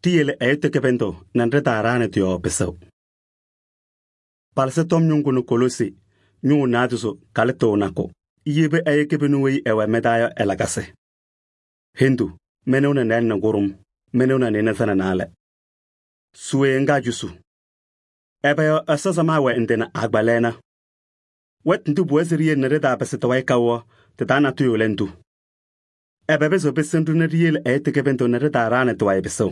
Ɖiyele ɛyʋ kɩbɩndʋ nɛ ɖɩtaaɖaɣnɩ tɩ-yɔɔ pɩsʋʋ. Palɩsɩ tɔm ñʋŋ kʋnʋ Koloosi ñʋʋ 9 kalɩtʋ nakʋ yeba ɛyʋ kɩbɩnʋ weyi ɛwɛ mɩ-taa yɔ ɛ-lakasɩ. Hendu, mɩnʋʋ nɛ nɩɩlɛ nɛ kʋɖʋm, mɩnʋʋ nɛ nɩɩnaza nɛ naalɛ. Suwe ŋga cusu. Ɛbɛ yɔ Ɛsɔ samaɣ wɛ ndɩ nɛ agbaa-lɛɛna. Wɛtʋ ndʋ pʋwɛɛ se ɖiyele nɛ ɖɩtaapɩsɩ tɩ-wayɩ kaʋ yɔ, tɩ-taa natʋyʋ lɛ ndʋ. Ɛbɛ pɩzɩɣ pɩsɩnɩ-ɖʋ nɛ ɖiyele ɛyʋ kɩbɩndʋ nɛ ɖɩtaaɖaɣnɩ tɩ-wayɩ pɩsʋʋ?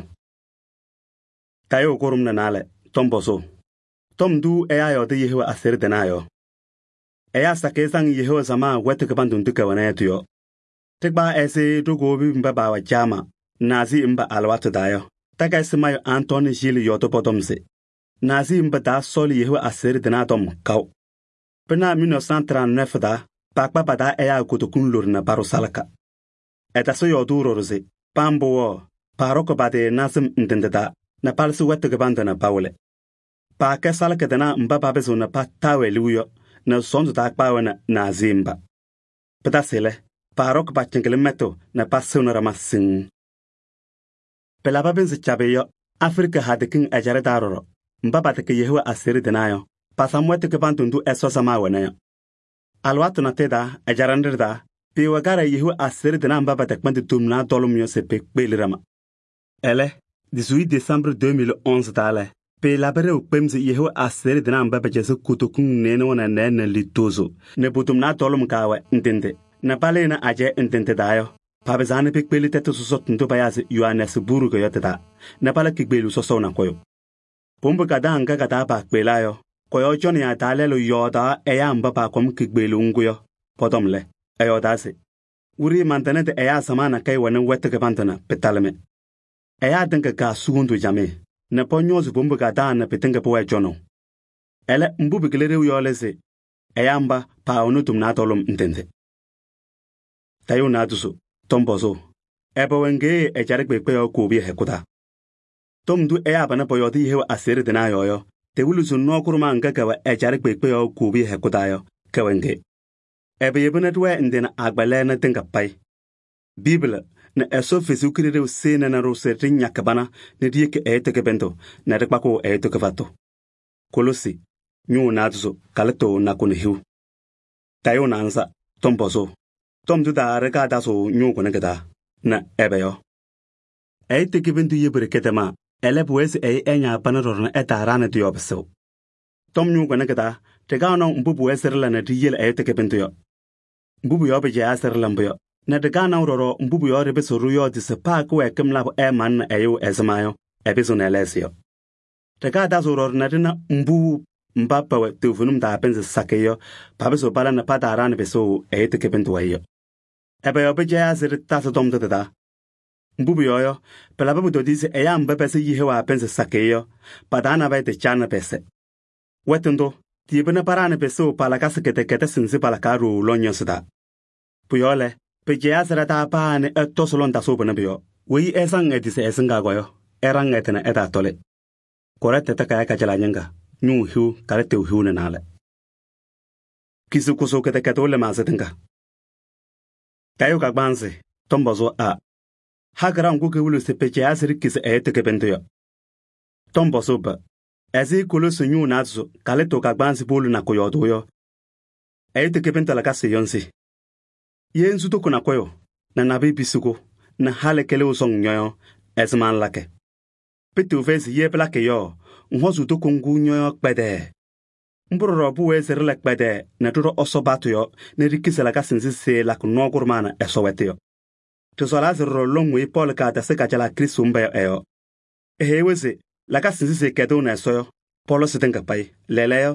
Tayʋʋ kʋɖʋm nɛ naalɛ, tɔm pɔzʋʋ. Tɔm ndʋ ɛyaa yɔɔdɩ Yehowa aseɣɖe tɩnaa yɔ. Ɛyaa sakɩyɛ saŋ Yehowa samaɣ wɛtʋ kɩbandʋ ndʋ kɛwɛna yɔ tɩ-yɔɔ. Ɖɩkpaɣ ɛzɩ ɖo-kowobi mba paawɛ caama Naazii mba alɩwaatʋ taa yɔ. Takayɩsɩ mayʋ Antɔɔnɩ Jiili yɔɔdɩ pɔ-tɔm se Naazii mba taasɔɔlɩ Yehowa aseɣɖe tɩnaa tɔm kaʋ. Pɩnaɣ 1939 taa, pakpa pa-taa ɛyaa kutoku loɖo nɛ paɖʋ salaka. Ɛtasɩ yɔɔdʋʋ ɖɔɖɔ se paa mbʋ yɔ, paaɖɔkɩ pa-tɩ nazɩm ndɩ ndɩ taa nɛ palɩsɩ wɛtʋ kɩbandʋ nɛ pawɩlɩ. Paakɛ salaka tɩnaa mba papɩzɩɣ nɛ pataa-wɛ liu yɔ nɛ sɔɔndʋ taa kpaɣ-wɛ nɛ Naazii mba. Pɩtasɩ lɛ, paaɖɔkɩ pa-cɩŋɩlɩm mɛtʋ nɛ pasɩɣnɩ ɖama siŋŋ. Pɩlabɩ pɩnzɩ cabɩ yɔ, Afrika hadɩ kiŋ ɛjaɖɛ taa ɖɔɖɔ, mba patɛkɛ Yehowa aseɣɖe tɩnaa yɔ, pasam wɛtʋ kɩbandʋ ndʋ Ɛsɔ samaɣ wɛna yɔ. Alɩwaatʋ natʋyʋ taa, ɛjaɖɛ nɖɩ taa, pɩɩwɛ kaɖɛ Yehowa aseɣɖe tɩnaa mba pɛtɛkpɛndɩ tomnaɣ tɔlʋm yɔ se pekpeɣli ɖama. Ɛlɛ, 18 Desembr 2011 taa lɛ, pɩɩlabɩ ɖɛʋ kpem se Yehowa aseɣɖe tɩnaa mba pɛcɛzɩ kutokuŋ nɩɩnʋwa nɛ nɛɛ nɛ litozo nɛ po-tomnaɣ tɔlʋm kaawɛ ndɩ ndɩ nɛ palɩnɩ ajɛɛ ndɩ ndɩ taa yɔ, papɩzaa nɛ pekpeɣli tɛtʋ sɔsɔtʋ ndʋ payaa se Yohanɛɛsɩ buurugɔ yɔ tɩ-taa nɛ pala kikpeɣlu sɔsɔʋ nakʋyʋ. Pʋmbʋ kadaŋ ŋga ka-taa paakpeɣlaa yɔ, kɔ-yɔɔ cɔnɩyaa taa lɛlʋ yɔɔdaɣ ɛyaa mba paakɔm kikpeɣlu ŋgʋ yɔ pɔ-tɔm lɛ, ɛyɔɔdaa se: wiɖiyi mantɩnɩ tɩ ɛyaa samaɣ nakɛyɛ wɛnɩ wɛtʋ kɩbandʋ nɛ pɩtalɩ-mɩ. Ɛyaa tɩŋa kaa sugumdu camɩɩ nɛ pɔñɔɔzɩ pʋmbʋ kadaŋ nɛ pɩtɩŋa pʋwɛɛ cɔnʋʋ. Ɛlɛ, mbʋ pɩkɩlɩ ɖeu yɔ lɛ se ɛyaa mba paawɛnɩ tomnaɣ tɔlʋm ndɩ ndɩ. Tayʋʋ 9 tɔm pɔzʋʋ. Ɛbɛ wɛ ŋgee ɛjaɖɛ kpeekpe yɔɔ koobiya hɛkʋ taa? Tɔm ndʋ ɛyaa panɛ pɔyɔɔdɩ Yehowa aseɣɖe tɩnaa yɔɔ yɔ, tewili se nɔɔ kʋɖʋma ŋga kɛwɛ ɛjaɖɛ kpeekpe yɔɔ koobiya hɛkʋ taa yɔ, kɛwɛ ŋge. Ɛbɛ yebi nɛ ɖɩwɛɛ ndɩ nɛ agbaa-lɛɛna tɩŋa payɩ. Biibli nɛ Ɛsɔ Kalɩzaɣ Kalɩzaɣ sɩɩnɩnɩ-ɖʋ se ɖɩñakɩ bana nɛ ɖiyeki ɛyʋ kɩbɩndʋ nɛ ɖɩkpakɩɣ ɛyʋ kɩfatʋ. Koloosi ñʋʋ 9 kalɩtʋ nakʋ nɛ hiu. Tayʋʋ 9 tɔm pɔzʋʋ. Tɔm ndʋ taa ɖɩkaa tazʋʋ ñʋʋ kʋnɛ kɩ-taa nɛ ɛbɛ yɔ? Ɛyʋ kɩbɩndʋ yeba ɖeke tɛmaa, ɛlɛ pʋwɛɛ se ɛyʋ ɛñaa pana ɖɔɖɔ nɛ ɛtaaɖaɣnɩ tɩ-yɔɔ pɩsʋʋ. Tɔm ñʋʋ kʋnɛ kɩ-taa, ɖɩkaɣ nɔŋ mbʋ pʋwɛɛ se ɖɩla nɛ ɖiyele ɛyʋ kɩbɩndʋ yɔ. Mbʋ pʋ-yɔɔ pɩcɛyaa se ɖɩla mbʋ yɔ, nɛ ɖɩkaɣ naʋ ɖɔɖɔ mbʋ pʋ-yɔɔ ɖɩpɩsɩɣ ɖɩyɔɔdɩ se paa kɩwɛɛkɩm labʋ ɛɛmanɩnɩ ɛyʋ ɛzɩma yɔ, ɛpɩzɩɣ nɛ ɛlɛɣzɩ yɔ. Ɖɩkaɣ tazʋʋ ɖɔɖɔ nɛ ɖɩna mbʋ mba pɛwɛ toovenim taa pɩnzɩ sakɩyɛ yɔ, papɩzɩɣ pala nɛ pataaɖaɣnɩ pɩsʋʋ ɛyʋ kɩbɩndʋ wayɩ yɔ. Ɛbɛ yɔ pɩcɛyaa se ɖɩtasɩ tɔm tʋ tɩ-taa? Mbʋ pʋ-yɔɔ yɔ, pɩlabɩ pʋtɔdɩyɛ se ɛyaa mba pɛsɛ Yehowa pɩnzɩ sakɩyɛ yɔ, pa-taa nabɛyɛ tɩcaɣnɩ pɛsɛ. Wɛtʋ ndʋ, tɩyebi nɛ paɖaɣnɩ pɩsʋʋ pa-lakasɩ kɩdɛkɛdɛsɩ nzɩ palakaɣ ɖooo lɔñɔsɩ taa. Pʋ-yɔɔ lɛ, pɩcɛyaa se ɖa-taa paa nɛ ɛtɔsɩ lɔŋtasɩʋ pʋnɛ pʋ-yɔɔ. Weyi ɛsaŋ ɛ-tɩ se ɛsɩŋa yɔ, ɛɖaŋ ɛ-tɩ nɛ ɛtaatɔlɩ. Kɔrɛntɩ Takayɛ Kajalaɣ ñɩŋga ñʋʋ hiu kalɩtʋ hiu nɛ naalɛ. Kisi kʋsʋ kɩdɛkɛdʋʋ lɩmaasɩ tɩŋa. Tayʋʋ kagbaanzɩ tɔm pɔzʋʋ a. Hagaraɣ ŋgʋ kewilo se pɩcɛyaa se ɖɩkisi ɛyʋ kɩbɩndʋ yɔ. Tɔm pɔzʋʋ b. Ɛzɩ Koloosi ñʋʋ 9 kalɩtʋ kagbaanzɩ powolo nakʋ yɔɔdʋʋ yɔ, ɛyʋ kɩbɩndʋ lakasɩ yɔ nse. Ye ŋsu tʋkʋ nakʋyʋ nɛ nabɩyɛ pisi-kʋ nɛ halɩ kɩlɩʋ sɔŋ ñɔyɔ, ɛzɩma ŋlakɩ? Pɩtɩɣ fɛyɩ se ye pɩlakɩ yɔ, ŋhɔzʋʋ tʋkʋ ŋgʋ ñɔyɔ kpɛdɛɛ. Mbʋ ɖɔɖɔ pʋwɛɛ se ɖɩla kpɛdɛɛ nɛ ɖɩɖɔ Ɛsɔ batʋ yɔ nɛ ɖikisi lakasɩ nzɩ sɩɩlakɩ nɔɔ kʋɖʋma nɛ Ɛsɔ wɛtʋ yɔ. Ɖɩsɔɔlaa se ɖɔɖɔ lɔŋ weyi Pɔɔlɩ kaatasɩ kajalaɣ Krɩstʋ mba yɔ ɛ-yɔɔ. Eheyi-wɛ se lakasɩ nzɩ sɩɩkɛdɩɣnɩ Ɛsɔ yɔ, pɔlɔsɩ tɩŋa payɩ. Lɛɛlɛɛyɔ,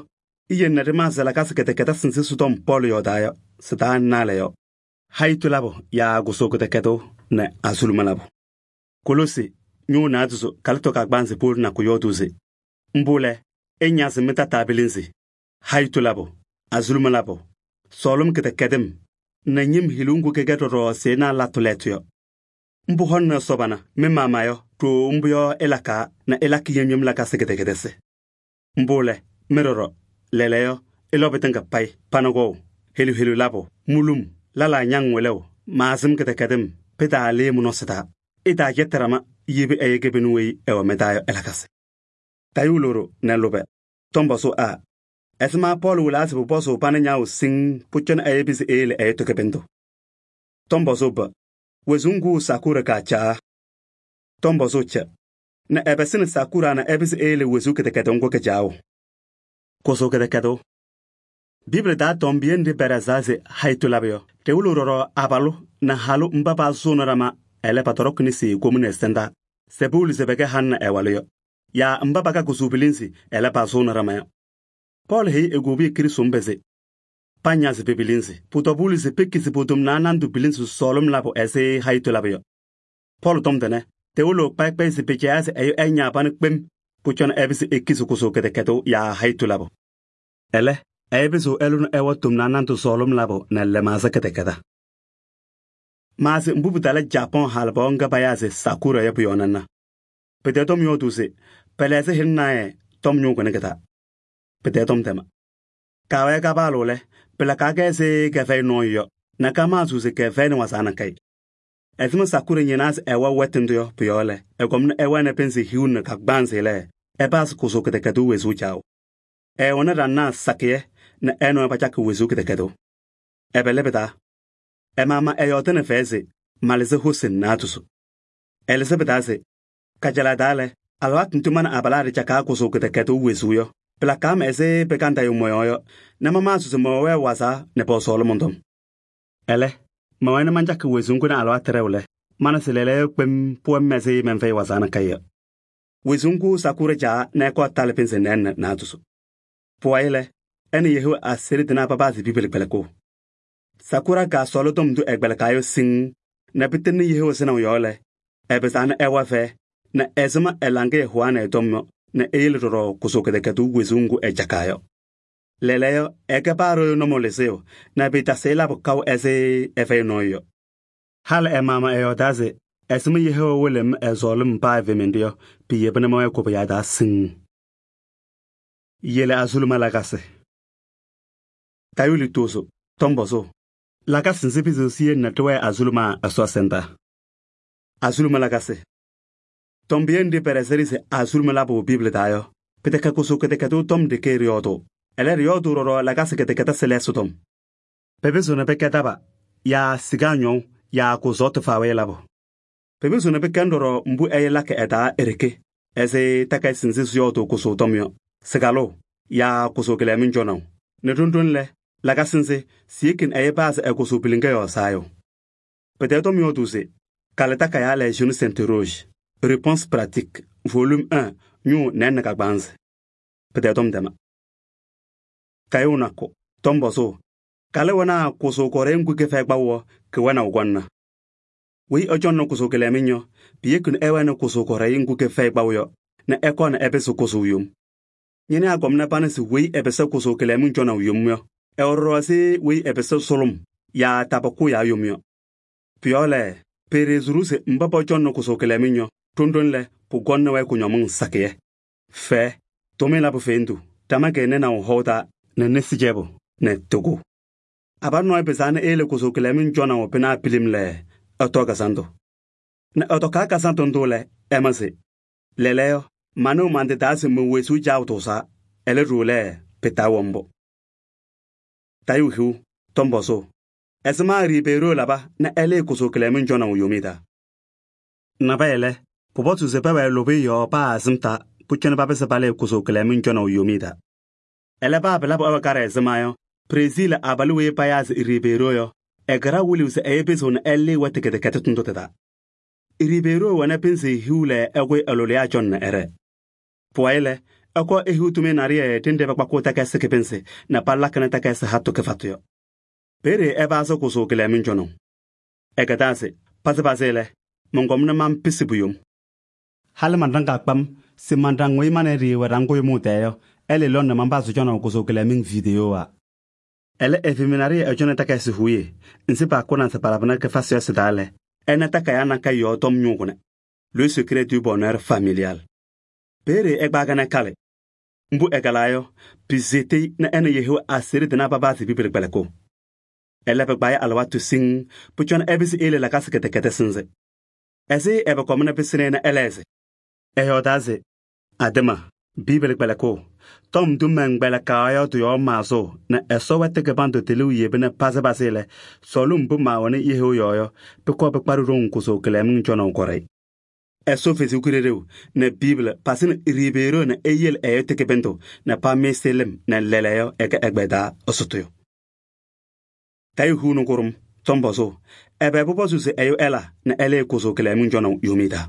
iyele nɛ ɖɩmaasɩ lakasɩ kɩdɛkɛdɛsɩ nzɩ sɩ-tɔm Pɔɔlɩ yɔɔdaa yɔ, sɩ-taa naalɛ yɔ. Hayitu labʋ yaa gʋsʋ kɩdɛkɛdʋʋ nɛ azuluma labʋ. Koloosi ñʋʋ 9 kalɩtʋ kagbaanzɩ powolo nakʋ yɔɔdʋʋ se: mbʋ lɛ, ɩñazɩ mɩ-tataa pilinzi, hayitu labʋ, azuluma labʋ, sɔɔlɩm kɩdɛkɛdɩm nɛ ñɩm hiliw ŋgʋ kɛkɛ ɖɔɖɔ sɩɩnaa latʋ lɛɛtʋ yɔ. Mbʋ hɔlɩnɩ Ɛsɔ bana, mɩ-maama yɔ, ɖooo mbʋ yɔ ɩlakaɣ nɛ ɩlakɩ yem-yem lakasɩ kɩdɛkɛdɛsɩ. Mbʋ lɛ, mɩ ɖɔɖɔ, lɛɛlɛɛyɔ, ɩlɔ pɩtɩŋa payɩ, panɩgɔɔ, helu-helu labʋ, mulum, lala ñaŋ wɩlɛʋ, maazɩm kɩdɛkɛdɩm, pɩtaalɩɩ mɩ-nɔsɩ taa. Ɩtaacɛtɩ ɖama, yebi ɛyɛ kebenu weyi ɛwɛ mɩ-taa yɔ ɛlakasɩ. Tayʋʋ loɖo nɛ lʋbɛ, tɔm pɔzʋʋ A: ɛzɩma Pɔɔlɩ wɩlaa se pʋpɔzʋʋ pana ñaawʋ siŋŋ pʋcɔ nɛ ɛyɛ pɩzɩ eyele ɛyʋtʋ kɩbɩndʋ? Tɔm pɔzʋʋ B: wezuu ŋgʋ Sakura kaacaa? Tɔm pɔzʋʋ C: nɛ ɛpɩsɩnɩ Sakura nɛ ɛpɩzɩ eyele wezuu kɩdɛkɛdʋʋ ŋgʋ kɩcaawʋ? Kʋsʋ kɩdɛkɛdʋʋ. Bibili taa tɔmbiye nɖɩ pɛɖɛɣzaa se hayitu labʋ yɔ, ɖɩwɩlɩɣ ɖɔɖɔ abalʋ nɛ halʋ mba paasʋʋnɩ ɖama ɛlɛ patɔɖɔkɩ nesi komini ɛsɩndaa se pɩwɩlɩ se pɛkɛ halʋ nɛ ɛwalʋ yɔ, yaa mba paka kʋsʋ pilinzi ɛlɛ pasʋʋnɩ ɖama yɔ. Pɔɔlɩ heyi egobiye Krɩstʋ mba se pañazɩ pe-pilinzi. Pʋtɔbʋʋlɩ se pekizi po-tomnaa nandʋ pilinzi sɔɔlɩm labʋ ɛzɩ hayitu labʋ yɔ. Pɔɔlɩ tɔm tʋnɛ tɩwɩlɩɣ kpɛyɩkpɛyɩ se pɩcɛyaa se ɛyʋ ɛñaa pana kpem pʋcɔ nɛ ɛpɩzɩ ekizi kʋsʋ kɩdɛkɛdʋʋ yaa hayitu labʋ. Ɛlɛ, ɛyɛ pɩzɩɣ ɛlʋ nɛ ɛwa tomnaa nandʋ sɔɔlɩm labʋ nɛ lɛmaɣza kɩdɛkɛda. Maasɩ mbʋ pɩtala Japɔn halɩpaɣ ŋga payaa se Sakura yɔ pʋ-yɔɔ nana. Pɩtɛɛ tɔm yɔɔdʋʋ se pɛlɛ ɛzɩ hɩlɩ naayɛ tɔm ñʋʋ kʋnɩ kɩ-taa. Pɩtɛɛ tɔm tɛma. Kaawɛɛ kapaalʋ lɛ, pɩlakaɣ-kɛ ɛzɩ kɛfɛyɩ nɔɔyʋ yɔ nɛ kamaɣzɩɣ se kɛfɛyɩnɩ wazaɣ nakɛyɛ. Ɛzɩma Sakura ñɩnaa se ɛwa wɛtɩ ndʋ yɔ pʋ-yɔɔ lɛ, ɛkɔm nɛ ɛwɛnɩ pɩnzɩ hiu nɛ kagbaanzɩ lɛ, ɛpazɩ kʋsʋ kɩdɛkɛdʋʋ wezuu caawʋ. Ɛɛwɛnɩ ɖanaɣ sakɩyɛ nɛ ɛ nɔɔyʋ pacakɩ wezuu kɩdɛkɛdʋʋ. Ɛbɛlɛ pɩ-taa. Ɛmaama ɛyɔɔdɩnɩ fɛyɛ se malɩzɩ hosi naatusʋ. Ɛlɩzɩ pɩ-taa se kajalaɣ taa lɛ, alɩwaatʋ ndʋ ma nɛ abalaa ɖɩcakaɣ kʋsʋ kɩdɛkɛdʋʋ wezuu yɔ, pɩlakaɣ-m ɛzɩ pɩkantayʋ mɔ-yɔɔ yɔ nɛ mamaɣzɩ se mɛwɛɛ wazaɣ nɛ pɛwɛ sɔɔlɩ mɔn-tɔm. Ɛlɛ, mɛwɛnɩ mancakɩ wezuu ŋgʋ nɛ alɩwaatʋ ɖɛʋ lɛ, mana se lɛɛlɛɛyɔ kpem pʋwɛ-m ɛzɩ mɛnfɛyɩ wazaɣ nakɛyɛ yɔ. Wezuu ŋgʋ Sakura caa nɛ ɛkɔɔ talɩ pɩnzɩ nɛɛnɛ naatusʋ. Pʋwayɩ lɛ, ɛ nɛ Yehowa aseɣɖe tɩnaa papazɩ bibili kpɛlɩkʋʋ. Sakura kaasɔɔlɩ tɔm ndʋ ɛkpɛlɩkaa yɔ siŋŋ nɛ pɩtɩŋnɩ Yehowa sɩnaʋ yɔɔ lɛ, ɛpɩzaa nɛ ɛwa fɛɛ nɛ ɛzɩma ɛ-laŋɩyɛ hʋwaanɩ ɛ-tɔm yɔ nɛ eyele ɖɔɖɔ kʋsʋ kɩdɛkɛdʋʋ wezuu ŋgʋ ɛcakaa yɔ. Lɛɛlɛɛyɔ ɛkɛ paa ɖɔyʋ nɔmɔɔ lɩzɩyʋ nɛ pɩɩtasɩ labʋ kaʋ ɛzɩ ɛfɛyɩ nɔɔyʋ yɔ. Halɩ ɛmaama ɛyɔɔdaa se ɛzɩma Yehowa wɩlɩ-m ɛzɔɔlɩ-m paa ɛvɩmɩndʋ yɔ, piyeba nɛ mɛwɛɛ koboyaa taa siŋŋ. Yele azuluma lakasɩ. Tayʋʋ lutozo, tɔm pɔzʋʋ: lakasɩ nzɩ pɩzɩɣ siyele nɛ tɩwɛɛ azuluma Ɛsɔ ɛsɩndaa? Azuluma lakasɩ. Tɔmbiye nɖɩ pɛɖɛzɩ-ɖɩ se azuluma labʋ Bibili taa yɔ, pɩtɛkɛ kʋsʋ kɩdɛkɛdʋʋ tɔm ɖeke ɖɩyɔɔdʋʋ, ɛlɛ ɖɩyɔɔdʋʋ ɖɔɖɔ lakasɩ kɩdɛkɛdɩ sɩlɛsɩ tɔm. Pɩpɩzɩɣ nɛ pɩkɛ daba yaa sigaa ñɔʋ yaa kʋzɔɔtɩ faawɛyɛ labʋ. Pɩpɩzɩɣ nɛ pɩkɛnɩ ɖɔɖɔ mbʋ ɛyɛ lakɩ ɛ-taa e-ɖeke ɛzɩ takayɩsɩ nzɩ sɩyɔɔdʋʋ kʋsʋ tɔm yɔ, sɩkalʋʋ yaa kʋsʋ kɩlɛmɩŋ cɔnaʋ. Nɛ ɖoŋ-ɖoŋ lɛ, lakasɩ nzɩ siyekini ɛyɛ paa se ɛkʋsʋ piliŋa yɔɔ saayʋ. Pɩtɛɛ tɔm yɔɔdʋʋ se kalɩ takayaa Les jeunes s'interrogent, réponse pratique, volume 1, ñʋʋ nɛɛnɛ kagbaanzɩ. Pɩtɛɛ tɔm tɛma. Kayʋʋ nakʋ, tɔm pɔzʋʋ: kalɩ wɛnaa kʋsʋ kɔrɛyɩ ŋgʋ kɩfɛyɩ kpaʋ yɔ kɩwɛnaʋ gɔnna? Weyi ɛcɔŋnɩ kʋsʋ kɩlɛmɩŋ yɔ, piyekini ɛwɛnɩ kʋsʋ kɔrɛyɩ ŋgʋ kɩfɛyɩ kpaʋ yɔ nɛ ɛkɔɔ nɛ ɛpɩsɩ kʋsʋ yom. Ñɩnɩ akɔm nɛ pana se weyi ɛpɩsɩ kʋsʋ kɩlɛmɩŋ cɔnaʋ yom yɔ, ɛwɛ ɖɔɖɔ ɛzɩ weyi ɛpɩsɩ sʋlʋm yaa tabʋkʋ yaa yom yɔ. Pʋ-yɔɔ lɛ, pɩɩɖɩɣzɩ-ɖʋ se mba pɔcɔŋnɩ kʋsʋ kɩlɛmɩŋ yɔ, ɖoŋ-ɖoŋ lɛ, pʋgɔŋnɩ-wɛ kʋñɔmɩŋ sakɩyɛ, fɛɛ, tʋmɩyɛ labʋ fendu, tamɛkɛ nɛnaʋ hɔʋ taa nɛ nesi cɛbʋ nɛ tɩgʋ. Abalʋ nɔɔyʋ pɩzaa nɛ eyele kʋsʋ kɩlɛmɩŋ cɔnaʋ pɩnaa pilim lɛ, ɛtɔɔ kazandʋ. Nɛ ɛtɔkaa kazandʋ ndʋ lɛ, ɛma se lɛɛlɛɛyɔ manɩɣ man-tɩ taa se me-wezuu caawʋ tʋʋzaa, ɛlɛ ɖo lɛ pɩtaawɛ mbʋ. Tayʋʋ hiu, tɔm pɔzʋʋ: ɛzɩma Ribeiro laba nɛ ɛlɩɩ kʋsʋ kɩlɛmɩŋ cɔnaʋ yomi taa? Nabɛyɛ lɛ, pʋpɔzʋ se pɛwɛɛ lʋbɩyɛ yɔɔ paa azɩm taa pʋcɔ nɛ papɩsɩ palɩɩ kʋsʋ kɩlɛmɩŋ cɔnaʋ yomi taa. Ɛlɛ paa pɩlabɩ ɛwɛ karɩ ɛzɩma yɔ, Présil abalʋ weyi payaa se Ribeiro yɔ, ɛkɩra wɩlɩɣ se ɛyɛ pɩzɩɣ nɛ ɛlɩɩ wɛtɩ kɩdɛkɛdɩ tʋndʋ tɩ-taa. Ribeiro wɛnɛ pɩnzɩ hiu lɛ ɛkʋyɩ ɛlʋlɩyaa cɔn nɛ ɛrɛ. Pʋwayɩ lɛ, ɛkɔɔ ehiu tʋmɩyɛ naɖɩyɛ ɖɩnɖɛ pakpakʋʋ takayɩsɩ kɩpɩnzɩ nɛ palakɩnɩ takayɩsɩ hatʋ kɩfatʋ yɔ. Peeye ɛpazɩ kʋsʋ kɩlɛmɩŋ cɔnaʋ. Ɛkɛdaa se pazɩ lɛ, mɔnkɔm nɛ mampɩsɩ pʋ-yom. Halɩ manɖaŋ kpam se manɖaŋ weyi ma nɛ ɖɩ wɛ ɖaŋ kʋyʋmʋʋ tɛɛ yɔ, ɛlɩ lɔŋ nɛ manpazɩ cɔnaʋ kʋsʋ kɩlɛmɩŋ video wa. Ɛlɛ ɛvɩmɩ naɖɩyɛ ɛcɔnɩ takayɩsɩ huye, nzɩ paakʋna se palabɩnɩ kɩfasɩ yɔ sɩ-taa lɛ, ɛnɛ takayaa nakɛyɛ yɔɔ tɔm ñʋʋ kʋnɛ, le secret du bonheur familial. Peeye ɛgbaagɛ nɛ kalɩ. Mbʋ ɛkalaa yɔ, pɩzetɩ nɛ ɛ nɛ Yehowa aseɣɖe tɩnaa papazɩ bibili kpɛlɩkʋʋ. Ɛlɛ pɩkpa-yɛ alɩwaatʋ siŋŋ pʋcɔ nɛ ɛpɩsɩ eyele lakasɩ kɩdɛkɛdɩ sɩnzɩ. Ɛzɩ ɛbɛ kɔm nɛ pɩsɩnɩ nɛ ɛlɛɣzɩ? Ɛyɔɔdaa se: “Adɩma, Biibili kpɛlɩkʋʋ, tɔm ndʋ mɛnkpɛlɩkaa yɔ tɩ-yɔɔ maazʋʋ nɛ Ɛsɔ wɛtʋ kɩbandʋ tɩlɩʋ yebina pazɩ lɛ, sɔɔlɩm mbʋ maawɛnɩ yeheu yɔɔ yɔ, pʋkɔɔ pɩkpaɖɩ ɖoŋ kʋsʋʋ kɩlɛmɩŋ cɔnaʋ kɔɖɛyɩ.” Ɛsɔ Kalɩzaɣ nɛ Biibili pasɩnɩ Ribeeroo nɛ eyele ɛyʋ tɩ kɩbɩndʋ nɛ pamɩɩsɩ lɩm nɛ lɛɛlɛɛyɔ ɛkɛ ɛgbɛyɛ taa ɛsʋtʋyʋ. Tayʋʋ hiu nɛ kʋɖʋm tɔm-pɔzʋʋ, ɛbɛ pʋpɔzʋʋ se ɛyʋ ɛla nɛ ɛlɩɩ kʋsʋʋ kɩlɛmɩŋ cɔnaʋ yomiye taa?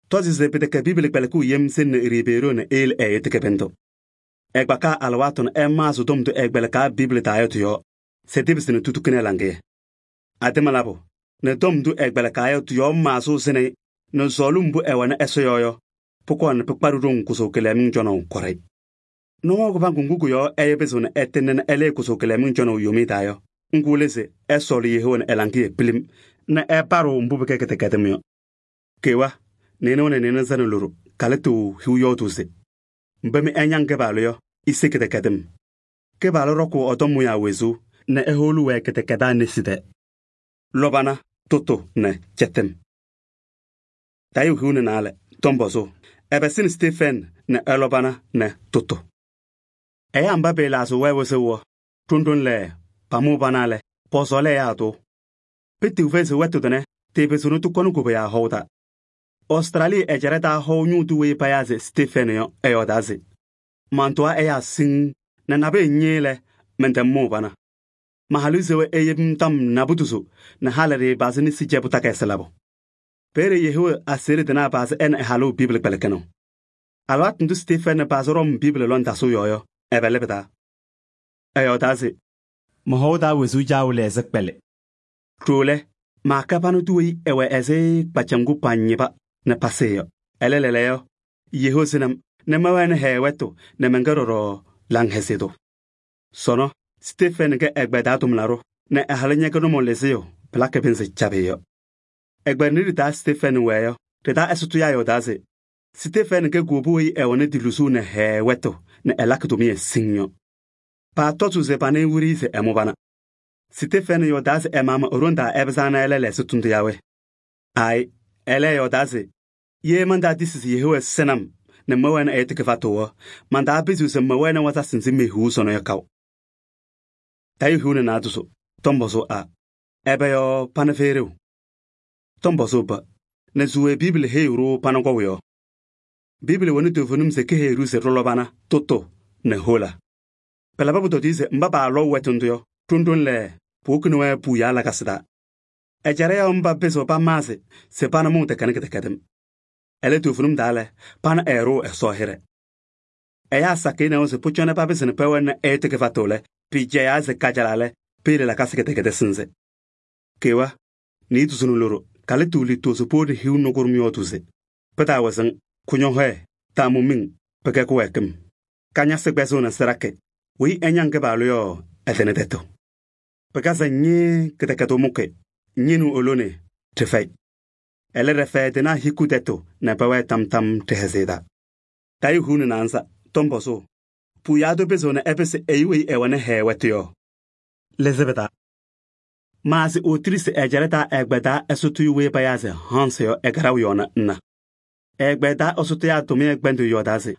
Tɔzɩ se pɩtɛkɛ Biibili kpɛlɩkʋʋ yem sɩŋnɩ Ribeeroo nɛ eyele ɛyʋ tɩ kɩbɩndʋ. Ɛkpakaa alɩwaatʋ nɛ ɛmaɣzɩ tɔm ndʋ ɛkpɛlɩkaa Biibili taa yɔ tɩ-yɔɔ se tɩpɩsɩ nɛ tutukini ɛ-laŋɩyɛ. Adɩma labʋ nɛ tɔm ndʋ ɛkpɛlɩkaa yɔ tɩ-yɔɔ maɣzʋʋ sɩnɩ-ɩ nɛ sɔɔlɩm mbʋ ɛwɛnɩ Ɛsɔ yɔɔ yɔ, pʋkɔɔ nɛ pɩkpaɖɩ ɖoŋ kʋsʋʋ kɩlɛmɩŋ cɔnaʋ kɔɖɛyɩ. Nɔɔ kɩbaŋgʋ ŋgʋ kʋ-yɔɔ ɛyʋ pɩzɩɣ nɛ ɛtɩŋnɩ nɛ ɛlɩɩ kʋsʋʋ kɩlɛmɩŋ cɔnaʋ yomiye taa yɔ, ŋgʋ lɛ se ɛsɔɔlɩ yeheu nɛ ɛ-laŋɩyɛ pilim nɛ ɛpaɖɩɣ mbʋ pɩkɛ kɩdɛkɛdɩm yɔ. Kewa, nɩɩnʋwa nɛ nɩɩnʋzana loɖo, kalɩtʋ hiu yɔɔdʋʋ se: “Mba mɩ ɩñaŋ Kɩpaɣlʋ yɔ, ise kɩdɛkɛdɩm.” Kɩpaɣlʋ rɔkʋʋ ɛ-tɔm mʋyaa wezuu nɛ ɛhʋʋlɩ-wɛ kɩdɛkɛdaa nesi tɛɛ. Lɔbana, tʋtʋ nɛ cɛtɩm. Tayʋʋ hiu nɛ naalɛ tɔm-pɔzʋʋ, ɛbɛ sɩnɩ Stefɛɛnɩ nɛ ɛ-lɔbana nɛ tʋtʋ? Ɛyaa mba pɩɩlaɣzɩɣ-wɛ wɩzʋʋ yɔ, ɖoŋ lɛ pamʋʋ pana lɛ, pɔsɔɔlɩ ɛyaa tʋ. Pɩtɩɣ fɛyɩ se wɛtʋ tʋnɛ tɩɩpɩzɩɣnɩ tʋkɔnɩ koboyaa hɔʋ taa. Ɔstralɩ ɛjaɖɛ taa hɔʋ ñʋʋ tʋ weyi payaa se Stefɛɛnɩ yɔ, ɛyɔɔdaa se: “Mantʋwa ɛyaa siŋŋ nɛ nabɩyɛ ñɩɩ lɛ, mɛntɛm mʋʋ pana. Ma-halʋ se wɛ eyebi-m tɔm nabʋtʋsʋ nɛ halɩ ɖɩɩpazɩ nesi cɛbʋ takayɩsɩ labʋ.” Peeye yeheu aseɣɖe tɩnaa pazɩ ɛ nɛ ɛ-halʋ Biibili kpɛlɩkɩnɩʋ. Alɩwaatʋ ndʋ Stefɛɛnɩ pazɩ Rɔm Biibili lɔŋtasɩʋ yɔɔ yɔ, ɛbɛ lɛ pɩ-taa? Ɛyɔɔdaa se: “Mɔ-hɔʋ taa wezuu caawʋ lɛɛsɩ kpɛlɩ.” Ɖoo lɛ, maakɛ pana tʋ weyi ɛwɛ ɛzɩ kpacɛm ŋgʋ pañɩba nɛ pasɩɩ yɔ. Ɛlɛ lɛɛlɛɛyɔ, yeheu sɩnɩ-m nɛ mɛwɛnɩ hɛɛ wɛtʋ nɛ mɛnkɛ ɖɔɖɔ laŋhɛzɩyɛ tʋ. Sɔnɔ, Stefɛɛnɩ kɛ ɛgbɛyɛ taa tʋmlaɖʋ nɛ ɛ-halʋ ñɛkɛ nʋmɔŋ lɩzɩyʋ pɩlakɩ pɩnzɩ cabɩ yɔ. Ɛgbɛyɛ nɖɩ ɖɩ-taa Stefɛɛnɩ wɛɛ yɔ, ɖɩ-taa ɛsɔtɔyaa yɔɔdaa se Stefɛɛnɩ kɛ kuwobu weyi ɛwɛnɩ dilusuu nɛ hɛɛ wɛtʋ nɛ ɛlakɩ tʋmɩyɛ siŋŋ yɔ. Paatɔzʋʋ se panɩɩ wiɖiyi se ɛmʋ pana. Stefɛɛnɩ yɔɔdaa se ɛ-maɣmaɣ e-ɖoŋ taa ɛpɩzaa nɛ ɛlɛ lɛɛsɩ tʋndʋ yaa we? Aayɩ, ɛlɛ ɛyɔɔdaa se: “Ye mantaatisi se yeheu ɛsɩnɩ-m nɛ mɛwɛnɩ ɛyʋ tɩ kɩfatʋ yɔ, mantaapɩzɩɣ se mɛwɛnɩ wasasɩ nzɩ mehiɣu sɔnɔ yɔ kaʋ.” Tayʋʋ hiu nɛ naadozo tɔm-pɔzʋʋ A: ɛbɛ yɔɔ pana fɛyɩ ɖeu? Tɔm-pɔzʋʋ B: nɛ zuwee Biibili heyiɣ-ɖʋ pana kɔʋ yɔɔ? Biibili wɛnɩ toovenim se keheyi-ɖʋ se ɖɩlɔbana, tʋtʋ nɛ hola. Pɩlabɩ pʋtɔdɩyɛ se mba paalɔʋ wɛtʋ ndʋ yɔ, ɖoŋ lɛ puwokini-wɛ puuyaa lakasɩ taa. Ɛjaɖɛ yɔ mba pɩzɩɣ pamaɣzɩ se pana mʋʋ tɛkɛnɩ kɩdɛkɛdɩm. Ɛlɛ toovenim taa lɛ, pana ɛɛɖʋʋ Ɛsɔ hɩɖɛ. Ɛyaa sakɩyɛ nɛʋ se pʋcɔ nɛ papɩzɩ nɛ pɛwɛnɩ ɛyʋ tɩ kɩfatʋ lɛ, pɩɩjɛyaa se kajala lɛ, peyele lakasɩ kɩdɛkɛdɩ sɩnzɩ. Kewa, niidozo nɛ loɖo, kalɩtʋ liitozo poore hiu nɛ kʋɖʋm yɔɔdʋʋ se: “Pɩtaawɛ sɩŋ, kʋñɔhɔɛ, taamʋ-miŋ, pɩkɛ kɩwɛɛkɩm. Kañasɩ kpɛzʋʋ nɛ sɩɖakɩ, weyi ɛñaŋ Kɩpaɣlʋ yɔ, ɛtɩnɩ tɛtʋ. Pɩkazɛ ñɩɩɩ kɩdɛkɛdʋ mʋkɩ, ñɩnʋ olone, ɖɩfɛyɩ. Ɛlɛ ɖɛfɛɛ tɩnaa hiku tɛtʋ nɛ pɛwɛɛ tam-tam ɖɩ-hɛzɩyɛ taa.” Tayʋʋ hiu nɛ naanza tɔm-pɔzʋʋ, puuyaa tʋ pɩzɩɣ nɛ ɛpɩsɩ ɛyʋ weyi ɛwɛnɩ hɛɛ wɛtʋ yɔ? Lɩzɩ pɩ-taa. Maazɩ Otirisi ɛjaɖɛ taa ɛgbɛyɛ taa ɛsɔtɔyʋ weyi payaa se Hansɩ yɔ ɛkɛɖɛʋ yɔɔna nna. Ɛgbɛyɛ taa ɛsɔtɔyaa tʋmɩyɛ kpɛndʋʋ yɔɔdaa se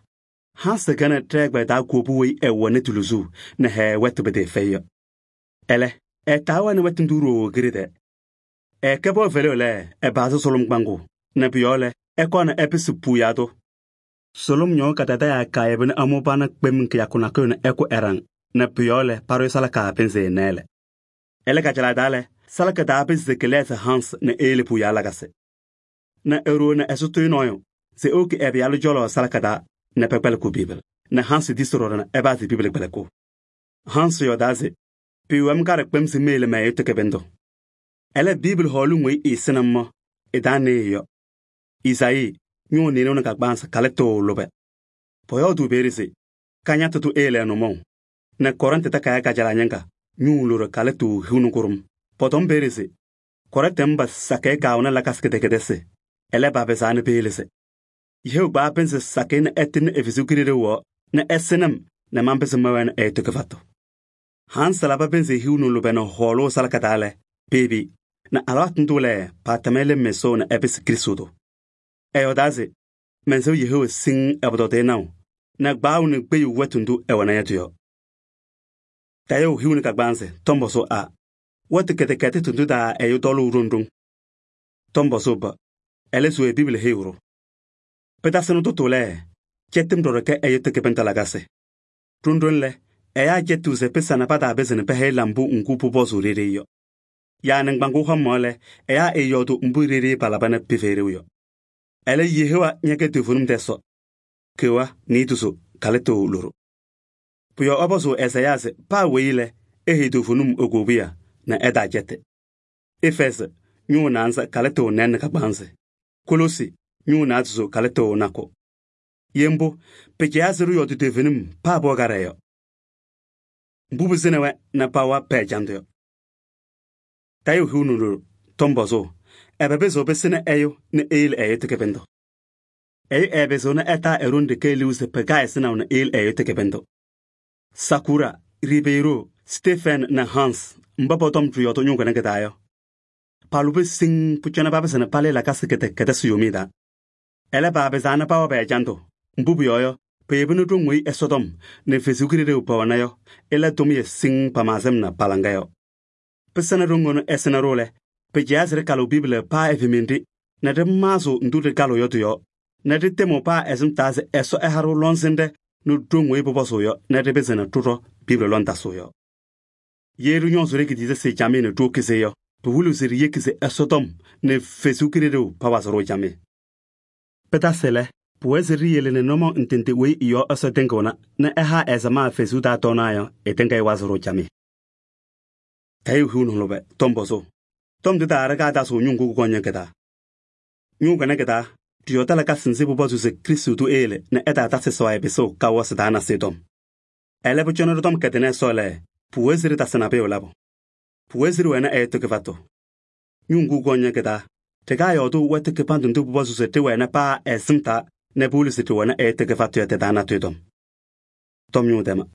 Hansɩ kɛnɩ ɖɛ-ɛgbɛyɛ taa kuwobu weyi ɛwɛnɩ dilusuu nɛ hɛɛ wɛtʋ pɩtɩɩfɛyɩ yɔ. Ɛlɛ, ɛtaa wɛnɩ wɛtʋ ndʋ ɖooo kiɖe tɛɛ. Ɛkɛ pɔɔ fɛlɩɣ lɛ, ɛbaazɩ sʋlʋm kpaŋʋʋ nɛ pʋ-yɔɔ lɛ, ɛkɔɔ nɛ ɛpɩsɩ puuyaa tʋ. Sʋlʋm ñɔɔ kadadayaa kaayɛbɩnɩ amʋ pana kpem kɩyakʋ nakʋyʋ nɛ ɛkʋ ɛɖaŋ nɛ pʋ-yɔɔ lɛ paɖʋyɛ salɩkaa pɩnzɩ nɛɛlɛ. Ɛlɛ kajalaɣ taa lɛ, salɩkɩ taa pɩzɩ se kɩlɛɣzɩ Hans nɛ eyele puuyaa lakasɩ. Nɛ eɖoo nɛ ɛsʋtʋyʋ nɔɔyʋ se ewoki ɛ-pɩyalʋ cɔlɔ salɩkɩ taa nɛ pɛkpɛlɩkɩ Biibili nɛ Hans tisi ɖɔɖɔ nɛ ɛpazɩ Biibili kpɛlɩkʋ. Hans yɔɔdaa se pɩɩwɛm kaɖɛ kpem se meyele mɛyʋ tɩ kɩbɩndʋ. Ɛlɛ Biibili hɔɔlʋŋ weyi ɩɩsɩnɩ-m mɔ, ɩ-taa nɩɩyɩ yɔ. Izayii ñʋʋ nɩɩnʋʋ nɛ kagbaanzɩ kalɩtʋ lʋbɛ. Pɔyɔɔdʋʋ peeye se kañatʋ tʋ eyele ɛ-nʋmɔʋ nɛ Kɔrɩntɩ takayaɣ kajalaɣ ñɩŋga ñʋʋ loɖo kalɩtʋ hiu nɛ kʋɖʋm. Pɔtɔm peeye se Kɔrɩntɩ mba sakɩyɛ kaawɛnɩ lakasɩ kɩdɛkɛdɛsɩ, ɛlɛ papɩzaa nɛ peyele sɩ. Yeheu kpaɣ pɩnzɩ sakɩyɛ nɛ ɛtɩnɩ Efɛsɩ ɖeu yɔɔ nɛ ɛsɩnɩ-m nɛ manpɩzɩ mɛwɛnɩ ɛyʋ tɩ kɩfatʋ. Hansɩ laba pɩnzɩ hiu nɛ lʋbɛ nɛ hɔɔlʋʋ salɩkɩ taa lɛ, peebi nɛ alɩwaatʋ ndʋ lɛ, paatama lem Ɛsɔ nɛ ɛpɩsɩ Krɩstʋ tʋ. Ɛyɔɔdaa se: mɛnsɛʋ Yehowa siŋŋ ɛ-pʋtɔdɩyɛ naʋ nɛ kpaɣʋ nɛ kpeɣu wɛtʋ ndʋ ɛwɛna yɔ tɩ-yɔɔ. Tayʋʋ hiu nɛ kagbaanzɩ tɔm pɔzʋʋ A: wɛtʋ kɩdɛkɛdɩtʋ ndʋ taa ɛyʋ tɔlʋʋ ɖoŋ ɖoŋ? Tɔm pɔzʋʋ B: ɛlɛ se we Bibili heyiɣ-ɖʋ? Pɩtasɩnɩ tʋtʋ lɛ, cɛtɩm ɖɔɖɔ kɛ ɛyʋ tɩ kɩbɩndʋ lakasɩ. Ɖoŋ-ɖoŋ lɛ, ɛyaa cɛtɩɣ se pɩsa nɛ pataapɩzɩ nɛ pɛhɛyɩ lambʋ ŋgʋ pʋpɔzʋʋ ɖeɖe yɔ. Yaa nɩŋgbaŋʋʋ hɔmaɣ lɛ, ɛyaa ɛɛyɔɔdʋ mbʋ ɖeɖe palaba nɛ pɩfɛyɩ ɖeu yɔ. Ɛlɛ, Yehowa ñɛkɛ toovenim tɛsɔ. Keɣa niidozo kalɩtʋ loɖo. Pʋ-yɔɔ ɛpɔzʋʋ Ɛzayaa se paa weyi lɛ, eheyi toovenim e-kowobiya nɛ ɛtaacɛtɩ. Efɛɛzɩ ñʋʋ naanza kalɩtʋ nɩɩ nɛ kagbaanzɩ. Koloosi ñʋʋ naadozo kalɩtʋ nakʋ. Ye mbʋ, pɩcɛyaa se ɖɩyɔɔdɩ toovenim paa pʋwɛ kaɖɛ yɔ. Mbʋ pɩsɩnɩ-wɛ nɛ pawa pɛ-ɛjandʋ yɔ. Tayʋʋ hiu nɛ loɖo tɔm pɔzʋʋ: ɛbɛ pɩzɩɣ pɩsɩnɩ ɛyʋ nɛ eyele ɛyʋ tɩ kɩbɩndʋ? Ɛyʋ ɛɛpɩzɩɣ nɛ ɛtaa ɛɖoŋ ɖeke liu se pɩka ɛsɩnaʋ nɛ eyele ɛyʋ tɩ kɩbɩndʋ. Sakura, Ribeiro, Stefɛn nɛ Hans mba pɔtɔm ɖɩyɔɔdɩ ñʋʋ kɩnɛ kɩ-taa yɔ, palʋbɩ siŋŋ pʋcɔ nɛ papɩsɩ nɛ palɩɩ lakasɩ kɩdɛkɛdɩsɩ yomiye taa. Ɛlɛ, paapɩzaa nɛ pawa pɛ-ɛjandʋ, mbʋ pʋyɔɔ yɔ, peyebi nɛ ɖoŋ weyi Ɛsɔtɔm nɛ Ɛsɔ Kalɩzaɣ pɛwɛna yɔ, ɩla tʋmɩyɛ siŋŋ pamaɣzɩm na pa-laŋa yɔ. Pɩsɩnɩ ɖoŋ ɛnʋ ɛsɩnɩ-ɖʋ lɛ, pɩcɛyaa se ɖɩkalɩɣ Bibili paa ɛ-femende nɛ ɖɩmaɣzɩɣ ndʋ ɖɩkalɩɣ yɔ tɩ-yɔɔ nɛ ɖɩtɛmɩɣ paa ɛsɩmtaa se Ɛsɔ ɛha-ɖʋ lɔŋsɩnɖɛ nɛ ɖoŋ weyi pʋpɔzʋʋ yɔ nɛ ɖɩpɩzɩ nɛ ɖɩɖɔ Bibili lɔŋtasɩʋ yɔ. Ye ɖɩñɔɔzɩ ɖe-kidiisɛsɩ camɩyɛ nɛ ɖiwoki se yɔ, pɩwɩlɩɣ se ɖiyeki se Ɛsɔtɔm nɛ Ɛsɔ Kalɩzaɣ pawazɩ-ɖʋ camɩyɛ. Pɩtasɩ lɛ, pʋwɛɛ se ɖiyele nɛ nʋmɔŋ ndɩ ndɩ weyi ɩ-yɔɔ Ɛsɔ tɩŋɩɣna nɛ ɛha ɛ-samaɣ Ɛsɔ taa tɔɔnaɣ yɔ, ɩtɩŋa ɩwazɩ-ɖʋ camɩyɛ. Tayʋʋ hiu nɛ lʋbɛ tɔm pɔzʋʋ: tɔm tɩ taa ɖɩka tasɩɣ ñʋʋ ŋgʋ kʋkɔŋ kɩ-taa? Ñʋʋ kɩnɛ kɩ-taa, ɖɩyɔɔdɩ lakasɩ nzɩ pʋpɔzʋʋ se Krɩstʋ tʋ eyele nɛ ɛtaatasɩ sɔɔya pɩsʋʋ kawasɩ taa nasɩyɩ tɔm. Ɛlɛ, pʋcɔ nɛ ɖɩtɔm kɛdɩnɩ Ɛsɔ lɛ, pʋwɛɛ se ɖɩtasɩ nabʋyʋ labʋ. Pʋwɛɛ se ɖɩwɛnɩ ɛyʋ tɩ kɩfatʋ. Ñʋʋ ŋgʋ kʋkɔŋ kɩ-taa, ɖɩkaa yɔɔdʋ wɛtʋ kɩbandʋ ndʋ pʋpɔzʋʋ se ɖɩwɛnɩ paa ɛ-ɛsɩm taa nɛ pɩwɩlɩ se ɖɩwɛnɩ ɛyʋ tɩ kɩfatʋ yɔ tɩ-taa natʋyʋ tɔm. Tɔm ñʋʋ tɛma.